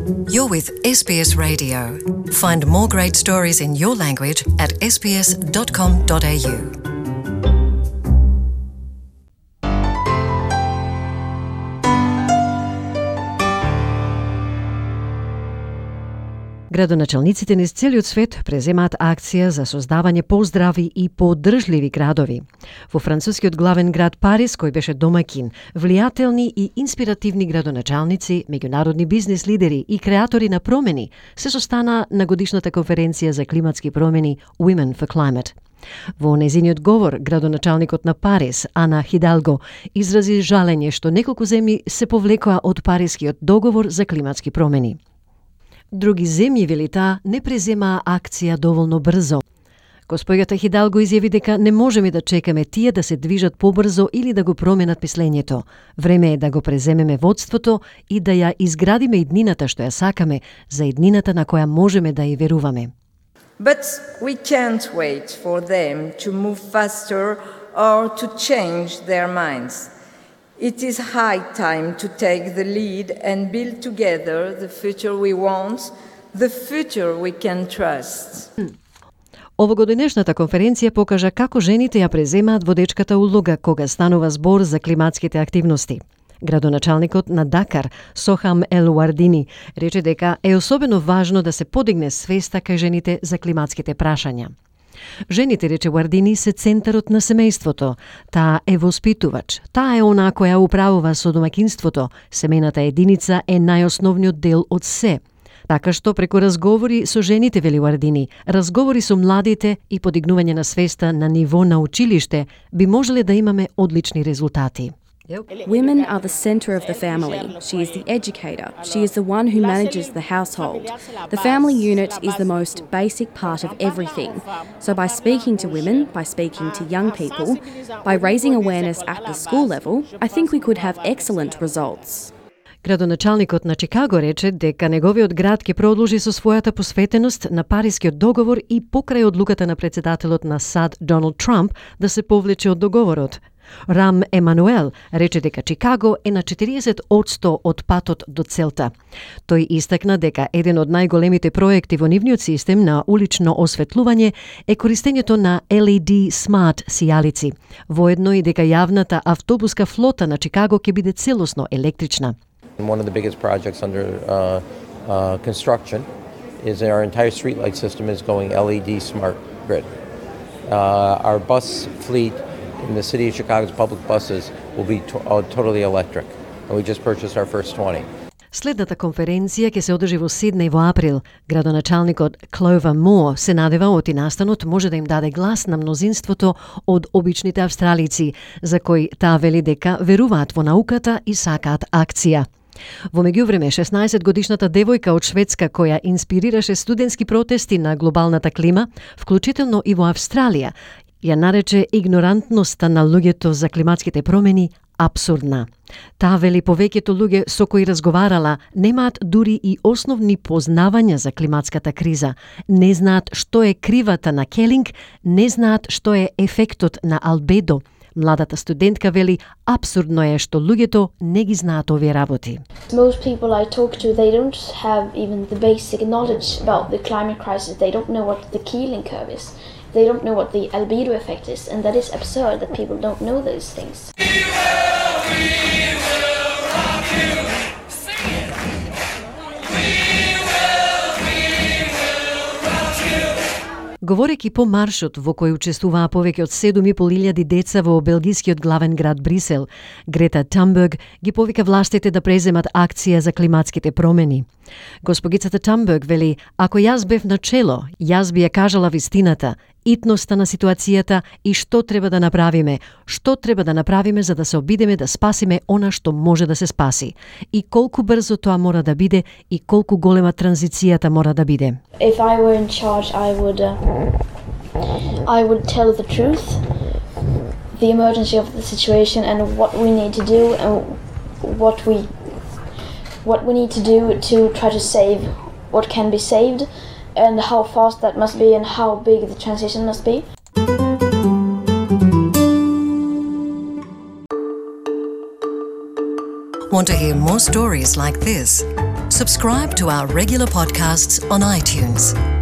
You're with SBS Radio. Find more great stories in your language at sbs.com.au. Градоначалниците низ целиот свет преземаат акција за создавање поздрави и поддржливи градови. Во францускиот главен град Париз, кој беше домаќин, влијателни и инспиративни градоначалници, меѓународни бизнис лидери и креатори на промени се состана на годишната конференција за климатски промени Women for Climate. Во незиниот говор, градоначалникот на Париз, Ана Хидалго, изрази жалење што неколку земји се повлекоа од Парискиот договор за климатски промени. Други земји, вели таа, не преземаа акција доволно брзо. Госпоѓата Хидалго изјави дека не можеме да чекаме тие да се движат побрзо или да го променат мислењето. Време е да го преземеме водството и да ја изградиме иднината што ја сакаме, за иднината на која можеме да ја веруваме. But we can't wait for them to move faster or to change their minds. It is high time to take the lead and build together the future we want, the future we can trust. Овогодинешната конференција покажа како жените ја преземаат водечката улога кога станува збор за климатските активности. Градоначалникот на Дакар, Сохам Ел Уардини, рече дека е особено важно да се подигне свеста кај жените за климатските прашања. Жените, рече Уардини, се центарот на семејството. Таа е воспитувач. Таа е онаа која управува со домаќинството. Семејната единица е најосновниот дел од се. Така што преку разговори со жените, вели Уардини, разговори со младите и подигнување на свеста на ниво на училиште, би можеле да имаме одлични резултати. Women are the centre of the family. She is the educator. She is the one who manages the household. The family unit is the most basic part of everything. So by speaking to women, by speaking to young people, by raising awareness at the school level, I think we could have excellent results. Градоначалникот на Чикаго рече дека неговиот град ќе продолжи со својата посветеност на Парискиот договор и покрај одлуката на председателот на САД Доналд Трамп да се повлече од договорот. Рам Емануел рече дека Чикаго е на 40% од патот до целта. Тој истакна дека еден од најголемите проекти во нивниот систем на улично осветлување е користењето на LED смарт сијалици, воедно и дека јавната автобуска флота на Чикаго ќе биде целосно електрична. One of the biggest projects under construction is our entire streetlight system is going LED smart grid. Our bus fleet in the city of Chicago's public buses will be totally electric, and we just purchased our first 20. Следната конференција ќе се одржи во Сиднеј во април. Градоначалникот Клова Мо се надева оти настанот може да им даде глас на мнозинството од обичните австралици, за кои таа вели дека веруваат во науката и сакаат акција. Во меѓувреме, 16-годишната девојка од Шведска која инспирираше студентски протести на глобалната клима, вклучително и во Австралија, ја нарече игнорантноста на луѓето за климатските промени абсурдна. Таа вели повеќето луѓе со кои разговарала немаат дури и основни познавања за климатската криза, не знаат што е кривата на келинг, не знаат што е ефектот на албедо. Младата студентка вели абсурдно е што луѓето не ги знаат овие работи. Most people I talk to, they don't have even the basic knowledge about the climate crisis. They don't know what the Keeling curve is. They don't know what the albedo effect is, and that is absurd that people don't know those things. We will rock you. Sing it. We will rock you. Говорејќи по маршот во кој учествуваа повеќе од 7.500 деца во белгискиот главен град Брисел, Грета Тамберг ги повика властите да преземат акција за климатските промени. Госпогицата Тамберг вели, ако јас бев на чело, јас би ја кажала вистината, итноста на ситуацијата и што треба да направиме за да се обидеме да спасиме она што може да се спаси и колку брзо тоа мора да биде и колку голема транзицијата мора да биде. If I were in charge, I would tell the truth, the emergency of the situation and what we need to do and what we need to do to try to save what can be saved and how fast that must be and how big the transition must be. Want to hear more stories like this? Subscribe to our regular podcasts on iTunes.